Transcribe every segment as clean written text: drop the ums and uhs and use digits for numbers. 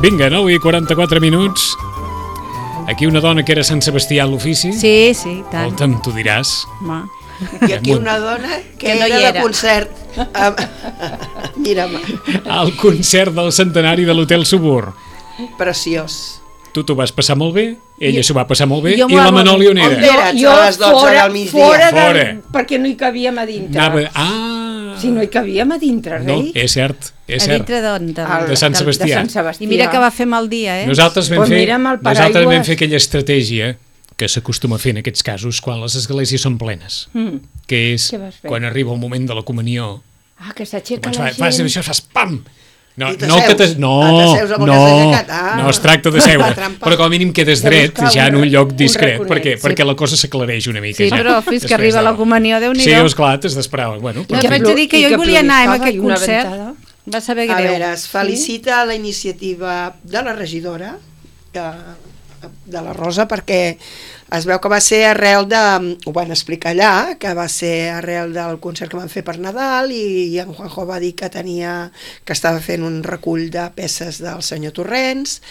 Vinga, 9:44. Aquí una dona que era Sant Sebastià a l'ofici. Sí, tant. Escolta'm, tu diràs. Home. I aquí una dona que no era de concert. Mira'm. Al concert del centenari de l'Hotel Subur. Preciós. Tu t'ho vas passar molt bé, ella s'ho va passar molt bé, Jo i la Manoli on era? On eres a les 12 del migdia? Fora. Perquè no hi cabíem a dintre. Si no hi cabíem a dintre, No, rei. és cert. A dintre d'on? De Sant Sebastià. I mira que va fer mal dia, eh? Nosaltres vam Pues fer aquella estratègia que s'acostuma a fer en aquests casos quan les esglésies són plenes, que és Què vas fer? quan arriba el moment de la comunió, Que s'aixeca la gent. fas això, fas pam! No, I no, que t'asseus. T'asseus amb una aixecat. no es tracta de seure, trampa. però com a mínim quedes dret ja en un lloc discret, raconet, perquè la cosa s'aclareix una mica. Sí, ja, però fins que després arriba de la comunió, Déu-n'hi-do. Sí, esclar, t'has d'esperar. Bueno, No, et vaig dir que jo hi volia anar a aquest concert. Va saber A greu. veure, es felicita la iniciativa de la regidora, de la Rosa, perquè es veu que va ser arrel de, ho van explicar allà, que va ser arrel del concert que van fer per Nadal i en Juanjo va dir que estava fent un recull de peces del senyor Torrents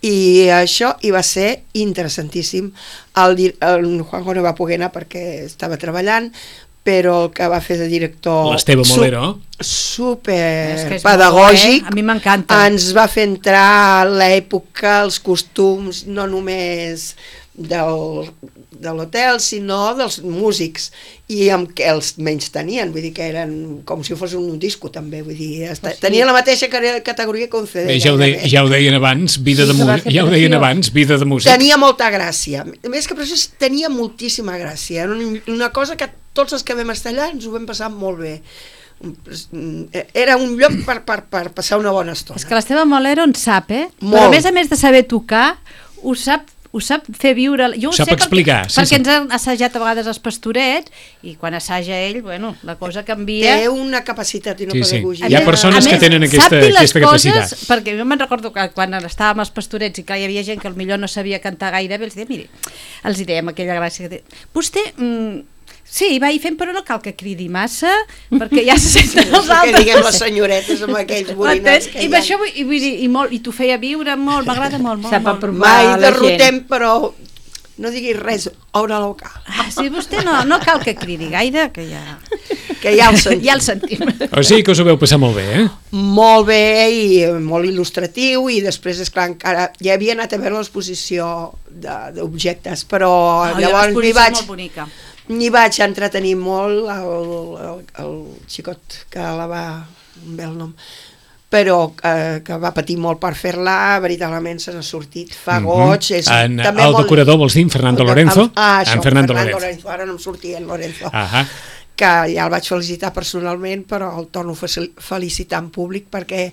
i això hi va ser interessantíssim. El Juanjo no va poder anar perquè estava treballant, però el que va fer de director l'Esteve Molero super pedagògic, a mi m'encanta, ens va fer entrar l'època, els costums, no només de l'hotel, sinó dels músics, i amb què els menys tenien, vull dir que eren com si fos un disco també, vull dir, tenia la mateixa categoria que un CD. Ja ho deien abans, vida de músic. Tenia molta gràcia, més que per això tenia moltíssima gràcia, era una cosa que tots els que vam estar allà ens ho vam passar molt bé. Era un lloc per passar una bona estona. És que l'Esteve Molero en sap, Molt. Però a més de saber tocar, ho sap fer viure. Jo ho sap sé explicar. perquè ens han assajat a vegades els Pastorets i quan assaja ell, bueno, la cosa canvia. Té una capacitat i una pedagogia. Hi ha persones que tenen aquesta capacitat. Perquè jo me'n recordo que quan estàvem als Pastorets i que hi havia gent que potser no sabia cantar gaire bé, els dèiem aquella gràcia que vostè... Sí, va fent, però no cal que cridi massa, perquè ja se senten els altres. Que diguem les senyoretes amb aquells borinats que I t'ho feia viure molt, m'agrada molt. Mai derrotem, però no diguis res, obre la boca. Sí, vostè no cal que cridi gaire, que ja el sentim. O sigui que us ho veu passar molt bé, Molt bé i molt il·lustratiu, i després, esclar, encara ja havia anat a veure l'exposició d'objectes, però llavors m'hi vaig entretenir molt, el xicot que la va, un bel nom, però que va patir molt per fer-la, veritablement se n'ha sortit, fa goig. El decorador, vols dir, en Fernando Lorenzo? En Fernando Lorenzo, ara no em sortia en Lorenzo. Que ja el vaig felicitar personalment, però el torno a felicitar en públic perquè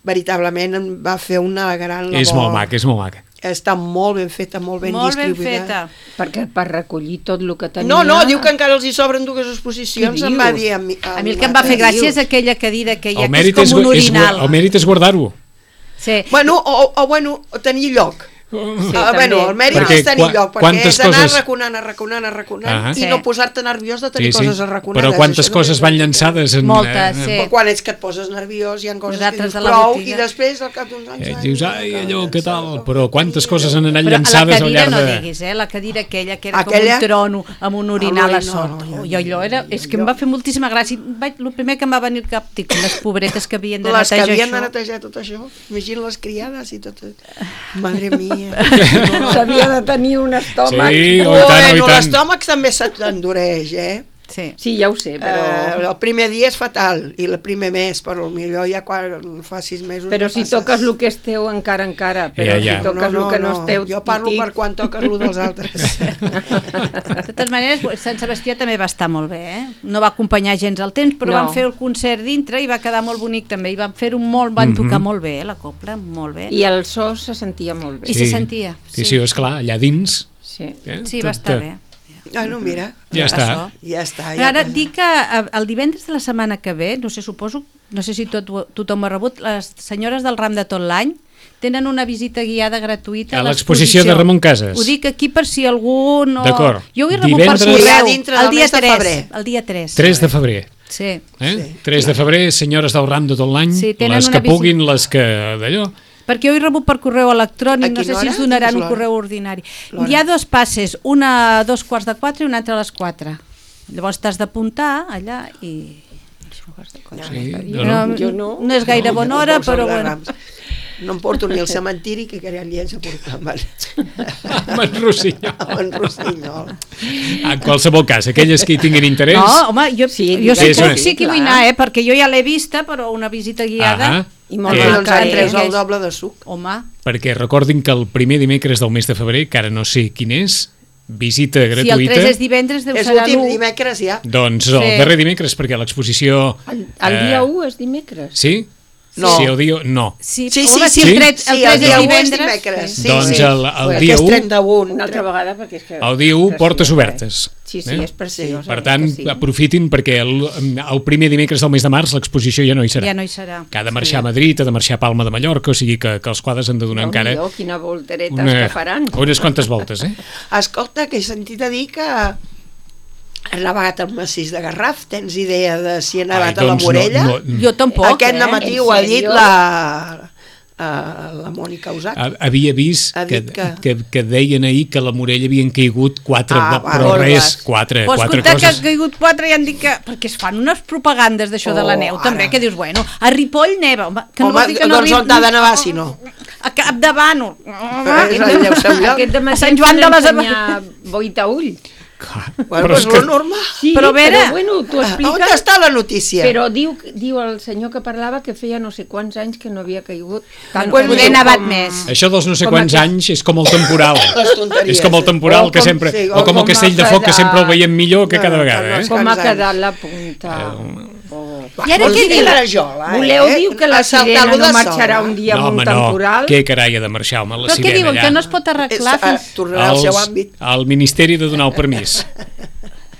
veritablement em va fer una gran labor. És molt maca. Està molt ben feta, molt ben distribuïda. Perquè per recollir tot el que tenia... No, diu que encara els hi sobren 2 exposicions, em va dir a mi el que em va fer gràcia és aquella cadira que hi ha, que és com un orinal. El mèrit és guardar-ho. Sí. Bueno, o tenir lloc. Bueno, el mèrit és tenir lloc, perquè és anar arraconant i no posar-te nerviós de tenir coses arraconades. Però quantes coses van llançades? Moltes, sí. Però quan ets que et poses nerviós hi ha coses que dius prou i després al cap d'uns anys... Dius, ai, allò, què tal? Però quantes coses han anat llançades al llarg de... Però la cadira no diguis, la cadira aquella que era com un trono amb un orinal a sota. Jo allò era... És que em va fer moltíssima gràcia. El primer que em va venir al cap, dic, les pobretes que havien de netejar això. Les que havien de netejar tot això. Imagina les criades i tot. Madre mia... S'havia de tenir un estómac. Sí, i tant. L'estómac també s'endureix, Sí, ja ho sé, però... el primer dia és fatal, i el primer mes, però millor ja quan fa 6 mesos... Però si toques el que és teu, encara, però si toques el que no és teu... Jo parlo per quan toques el dels altres. De totes maneres, Sant Sebastià també va estar molt bé, No va acompanyar gens al temps, però van fer el concert dintre i va quedar molt bonic també, i van fer-ho molt, van tocar molt bé, la copla, molt bé. I el so se sentia molt bé. I se sentia. Sí, esclar, allà dins... Sí, va estar bé. No, mira. Ja està. Però ara dic que el divendres de la setmana que ve, no sé si tothom ho ha rebut, les senyores del Ram de tot l'any tenen una visita guiada gratuïta a l'exposició de Ramon Casas. Ho dic aquí per si algú no... D'acord. Jo ho he rebut per correu el dia 3. El dia 3. 3 de febrer. Sí. 3 de febrer, senyores del Ram de tot l'any, les que puguin, les que d'allò... Perquè jo he rebut per correu electrònic, no sé si es donaran un correu ordinari. Hi ha 2 passes, una a 3:45 i una altra a les 4. Llavors t'has d'apuntar allà i... No és gaire bona hora, però bueno. No em porto ni al cementiri, que aquell dia ens aportaven. En Rossinyol. En Rossinyol. En qualsevol cas, aquelles que hi tinguin interès... No, home, jo sí que vull anar, perquè jo ja l'he vista, però una visita guiada... I molt doncs han tres el doble de suc. Home. Perquè recordin que el primer dimecres del mes de febrer, que ara no sé quin és, visita gratuïta... Si el 3 és divendres, deu ser l'1. És l'últim dimecres ja. Doncs el darrer dimecres, perquè l'exposició... El dia 1 és dimecres? Sí? No. Sí, el dia... No. Sí, el 3 és divendres. Doncs el dia 1... Una altra vegada, perquè és que... El dia 1, portes obertes. Sí, és preciós. Per tant, aprofitin, perquè el primer dimecres del mes de març l'exposició ja no hi serà. Ja no hi serà. Que ha de marxar a Madrid, ha de marxar a Palma de Mallorca, o sigui que els quadres han de donar encara... Quina volteretes que faran. Unes quantes voltes, Escolta, que he sentit a dir que has nevat el massís de Garraf. Tens idea de si ha nevat a la Morella? Jo tampoc, Aquest matí ho ha dit la Mònica Usac. Havia vist que deien ahir que a la Morella havien caigut 4, però res, 4 coses. Que han caigut 4 i han dit que... Perquè es fan unes propagandes d'això de la neu, també, que dius, bueno, a Ripoll neva. Home, doncs on t'ha de nevar, si no? A Capdavant. Aquest de Sant Joan de les Boitaüll. Bueno, és lo normal. Sí, però bueno, t'ho expliques. On està la notícia? Però diu el senyor que parlava que feia no sé quants anys que no havia caigut. Poder nevat més. Això dels no sé quants anys és com el temporal. És com el temporal que sempre... O com el Castell de Foc, que sempre el veiem millor que cada vegada. Com ha quedat la punta. I ara què diu? Voleu dir que la sirena no marxarà un dia amb un temporal? No, què carai ha de marxar, home, la sirena allà. Però què diuen, que no es pot arreglar fins... Tornarà al seu àmbit. El Ministeri de donar el permís.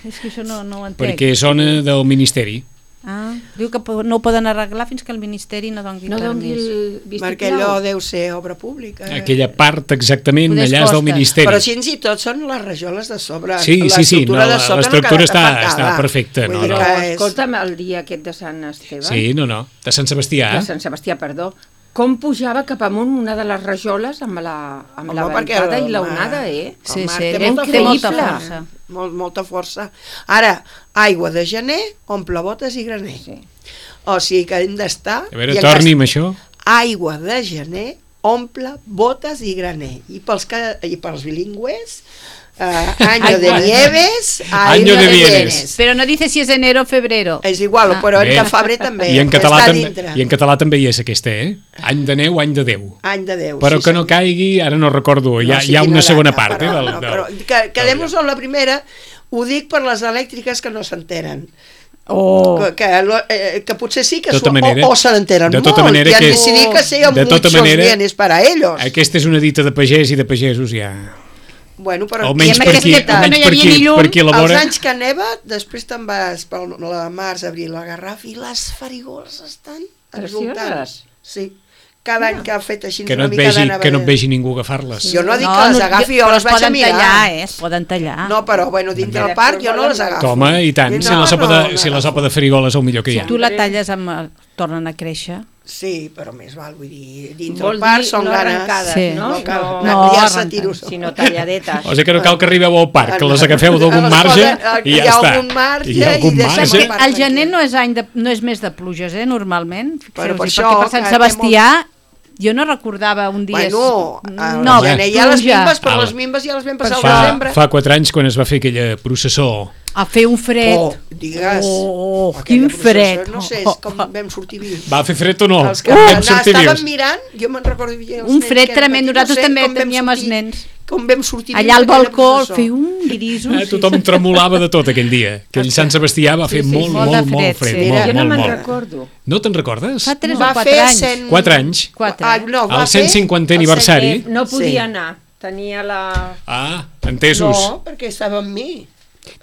És que això no ho entenc. Perquè és zona del Ministeri. Diu que no ho poden arreglar fins que el Ministeri no doni permís. Perquè allò deu ser obra pública. Aquella part exactament allà és del Ministeri. Però fins i tot són les rajoles de sobre. Sí, l'estructura està perfecta. Però escolta'm, el dia aquest de Sant Esteve... Sí, de Sant Sebastià. De Sant Sebastià, perdó. Com pujava cap amunt una de les rajoles amb la ventada i l'onada, Sí, té molta força. Molta força. Ara, aigua de gener, omple botes i graner. O sigui que hem d'estar... A veure, torni amb això. Aigua de gener, omple botes i graner. I pels bilingües... año de nieves, año de bienes. Pero no dice si es enero o febrero. És igual, però en febrer també. I en català també hi és aquesta, Any de neu, any de Déu. Any de Déu. Però que no caigui, ara no recordo, hi ha una segona part. Però quedem-nos amb la primera, ho dic per les elèctriques que no s'entenen. Que potser sí que o se n'entenen molt i han decidit que siguin muchos bienes para ellos. Aquesta és una dita de pagès i de pagesos ja... Bueno, però almenys per aquí a la vora. Els anys que neva, després te'n vas per la març, abril, la Garraf, i les farigols estan resultants. Sí, cada any que ha fet així que una no et mica vegi, d'anava... que no et vegi ningú agafar-les. Jo no dic que les agafi, jo les vaig a mirar. Es poden tallar. No, però bueno, dintre del parc jo no les agafo. Home, i tant, si la sopa de farigola és el millor que hi ha. Si tu la talles tornen a créixer. Sí, però més val, vull dir, dintre del parc són ganes. No arrencar-se tiros. Sinó talladetes. O sigui que no cal que arribeu al parc, que les agafeu d'algun marge i ja està. Hi ha algun marge. El gener no és mes de pluges, normalment. Però per això, perquè per Sant Sebastià jo no recordava un dia... Bueno, al gener hi ha les mimbes, però les mimbes ja les vam passar al desembre. Fa 4 anys, quan es va fer aquella processó... A fer un fred. Digues. Quin fred. No sé, com vam sortir vius. Va fer fred o no? Els que estaven mirant, jo me'n recordo... Un fred tremend, nosaltres també teníem els nens. Com vam sortir allà al balcó, feia un grisos. Tothom tremolava de tot aquell dia. Aquell Sant Sebastià va fer molt fred. Jo no me'n recordo. No te'n recordes? Fa 3 o 4 anys. 4 anys. Al 150è aniversari. No podia anar, tenia la... Entesos. No, perquè estava amb mi.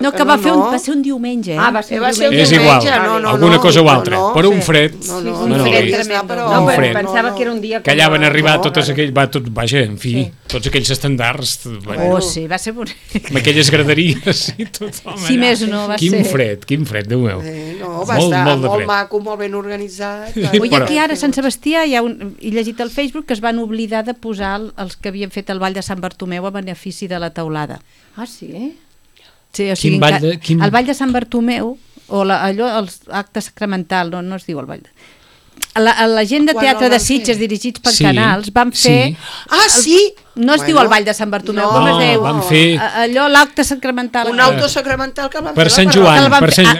No, que va ser un diumenge. Va ser un diumenge. És igual, alguna cosa o altra. Però un fred... Un fred tremend. No, però pensava que era un dia... Que allà van arribar tots aquells... Vaja, en fi, tots aquells estandards... Sí, va ser bonic. Amb aquelles graderies i tothom allà. Si més no, va ser... Quin fred, Déu meu. No, va estar molt maco, molt ben organitzat. Oi, aquí ara a Sant Sebastià he llegit al Facebook que es van oblidar de posar els que havien fet el Ball de Sant Bartomeu a benefici de la teulada. Ah, sí? Sí, o sigui, el Ball de Sant Bartomeu, o els actes sacramental, no es diu el Ball de... La gent de teatre de Sitges dirigits per Canals van fer... Sí! No es diu el Ball de Sant Bartomeu, com es diu? Van fer... Allò, l'acte sacramental. Un auto sacramental que van fer.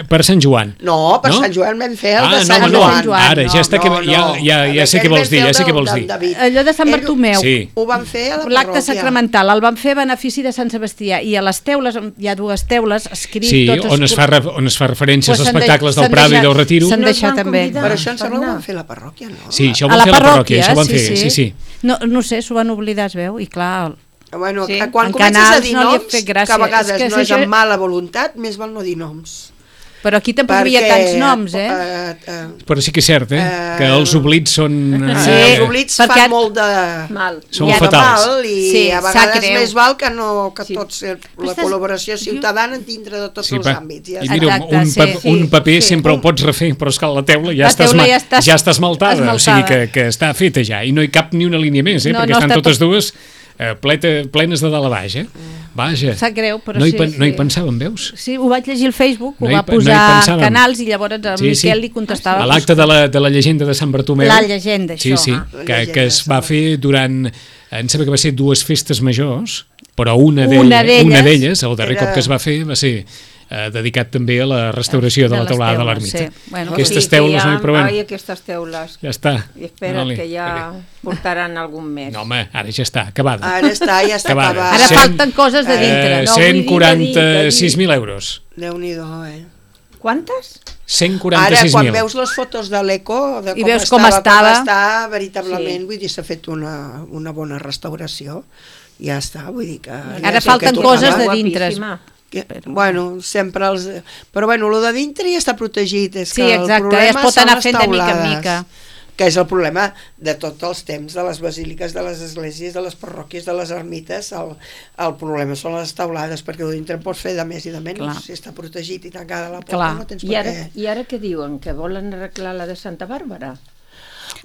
Per Sant Joan. No, per Sant Joan vam fer el de Sant Joan. Ara, ja està que... Ja sé què vols dir, Allò de Sant Bartomeu. Ho van fer a la parròquia. L'acte sacramental el van fer a benefici de Sant Sebastià. I a les teules, hi ha 2 teules, escrit totes... Sí, on es fa referència als espectacles del Prado i del Retiro. S'han deixat també. Per això em sembla que ho van fer a la parròquia, no? Sí, això ho van fer a la parròquia, això ho van fer, sí. No sé, s'ho van oblidar, es veu, i clar... Bueno, quan comences a dir noms, que a vegades no és amb mala voluntat, més val no dir noms. Però aquí tampoc hi havia tants noms, Però sí que és cert, que els oblits són... Sí, els oblits fan molt de mal. Són fatals. I a vegades més val que tots, la col·laboració ciutadana dintre de tots els àmbits. I mira, un paper sempre el pots refer, però és que la teula ja està esmaltada, o sigui que està feta ja, i no hi cap ni una línia més, perquè estan totes dues... plenes de dalt a baix, Vaja. Sap greu, però no hi pensàvem, veus? Sí, ho vaig llegir al Facebook, ho va posar Canals i llavors el Miquel li contestava. A l'acte de la llegenda de Sant Bartomeu. La llegenda, això. Sí, que es va fer durant, em sembla que va ser 2 festes majors, però una d'elles, el darrer cop que es va fer va ser dedicat també a la restauració de la teulada de l'ermita. Aquestes teules no hi provem. Aquestes teules. Ja està. I espera't que ja portaran algun mes. No, home, ara ja està, acabada. Ara ja està acabada. Ara falten coses de dintre. 146.000 euros. Déu-n'hi-do, Quantes? 146.000. Ara, quan veus les fotos de l'Eco, de com està, veritablement, vull dir, s'ha fet una bona restauració. Ja està, vull dir que... Ara falten coses de dintre. Bueno, sempre els... Però bueno, el de dintre ja està protegit. Sí, exacte, es pot anar fent de mica en mica. Que és el problema de tots els temps, de les basíliques, de les esglésies, de les parròquies, de les ermites. El problema són les taulades, perquè el dintre en pots fer de més i de menys. Si està protegit i tancada la porta, no tens per què. I ara què diuen? Que volen arreglar la de Santa Bàrbara?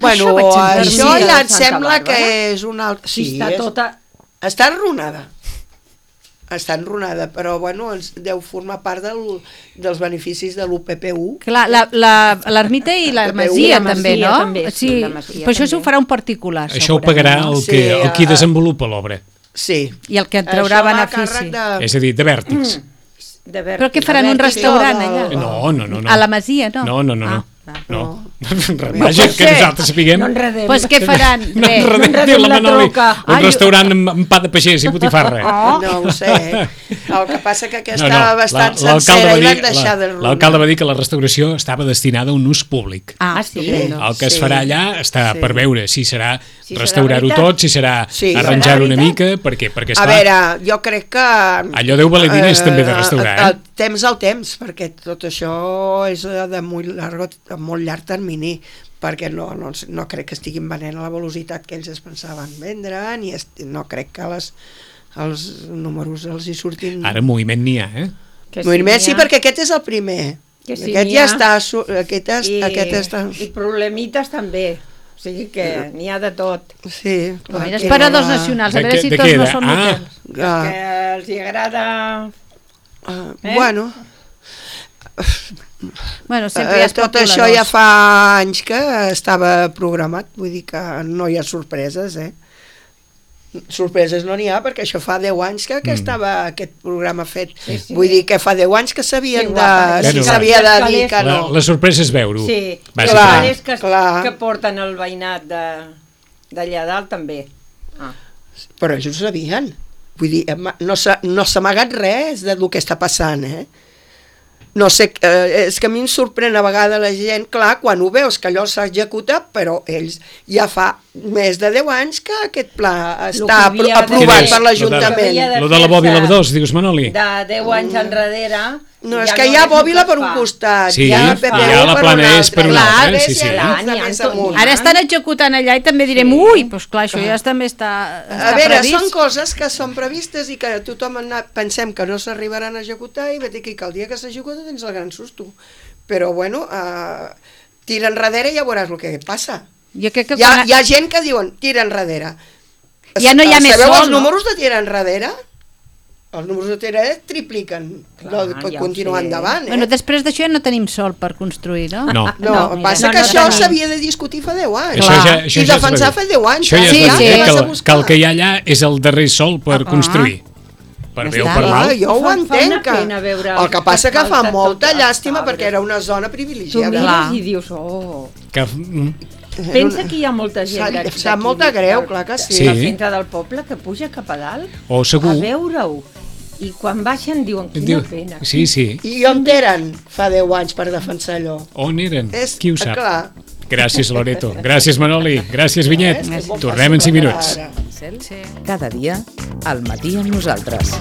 Bueno, això ja et sembla que és una altra... Sí, està enrunada. Està enrunada, però bueno, deu formar part dels beneficis de l'UPPU. Clar, l'ermita i la masia també, no? Sí, però això s'ho farà un particular. Això ho pagarà el qui desenvolupa l'obra. Sí. I el que en traurà benefici. És a dir, de vèrtix. Però què faran, un restaurant allà? No. A la masia, no? No. Vaja, que nosaltres sapiguem. Pues què faran? No enredem la Manoli. Un restaurant amb pa de pagès i botifarra. No ho sé. El que passa que estava bastant sencera i van deixar de runar. L'alcalde va dir que la restauració estava destinada a un ús públic. Sí. El que es farà allà està per veure si serà restaurar-ho tot, si serà arranjar-ho una mica, perquè a veure, jo crec que... Allò deu valer diners també de restaurar, Temps al temps, perquè tot això és de molt llarg termini. perquè no crec que estiguin venent a la velocitat que ells es pensaven vendre, ni no crec que els números els hi surtin... Ara moviment n'hi ha, Moviment sí, perquè aquest és el primer. Aquest ja està... Aquest està... I problemites també. O sigui que n'hi ha de tot. Sí. Mira, esperadors nacionals, a veure si tots no són hotels. Que els hi agrada... Bueno... Bueno, sempre hi ha tot això ja fa anys que estava programat, vull dir que no hi ha sorpreses, Sorpreses no n'hi ha, perquè això fa 10 anys que estava aquest programa fet. Vull dir que fa 10 anys que s'havia de dir que no. La sorpresa és veure-ho. Sí, que porten el veïnat d'allà dalt també. Però ells ho sabien. Vull dir, no s'ha amagat res del que està passant, No sé, és que a mi em sorprèn a vegades la gent, clar, quan ho veus que allò s'executa, però ells ja fa més de 10 anys que aquest pla està aprovat per l'Ajuntament. Lo de la bòbila 2, dius, Manoli? De 10 anys enrere... No, és que hi ha bòbila per un costat, hi ha la Planès per un altre. Ara estan executant allà i també direm, ui, doncs clar, això ja també està previst. A veure, són coses que són previstes i que tothom pensem que no s'arribaran a executar i vet aquí que el dia que s'executa tens el gran susto. Però bueno, tira enrere i ja veuràs el que passa. Hi ha gent que diuen, tira enrere. Ja no hi ha més sol, no? Sabeu els números de tira enrere? Els números de tira tripliquen, continuar endavant. Bueno, després d'això ja no tenim sol per construir, no? No, passa que això s'havia de discutir fa 10 anys. I defensar fa 10 anys. Això ja és que el que hi ha allà és el darrer sol per construir. Per bé o per mal. Jo ho entenc. El que passa que fa molta llàstima perquè era una zona privilegiada. Tu mires i dius, pensa que hi ha molta gent sap molta greu, clar que sí. Al centre del poble que puja cap a dalt a veure-ho i quan baixen diuen quina pena. Sí. I on eren fa 10 anys per defensar allò? On eren? Qui ho sap? Gràcies, Loreto. Gràcies, Manoli. Gràcies, Vinyet. Tornem en 5 minuts. Cada dia, al matí amb nosaltres.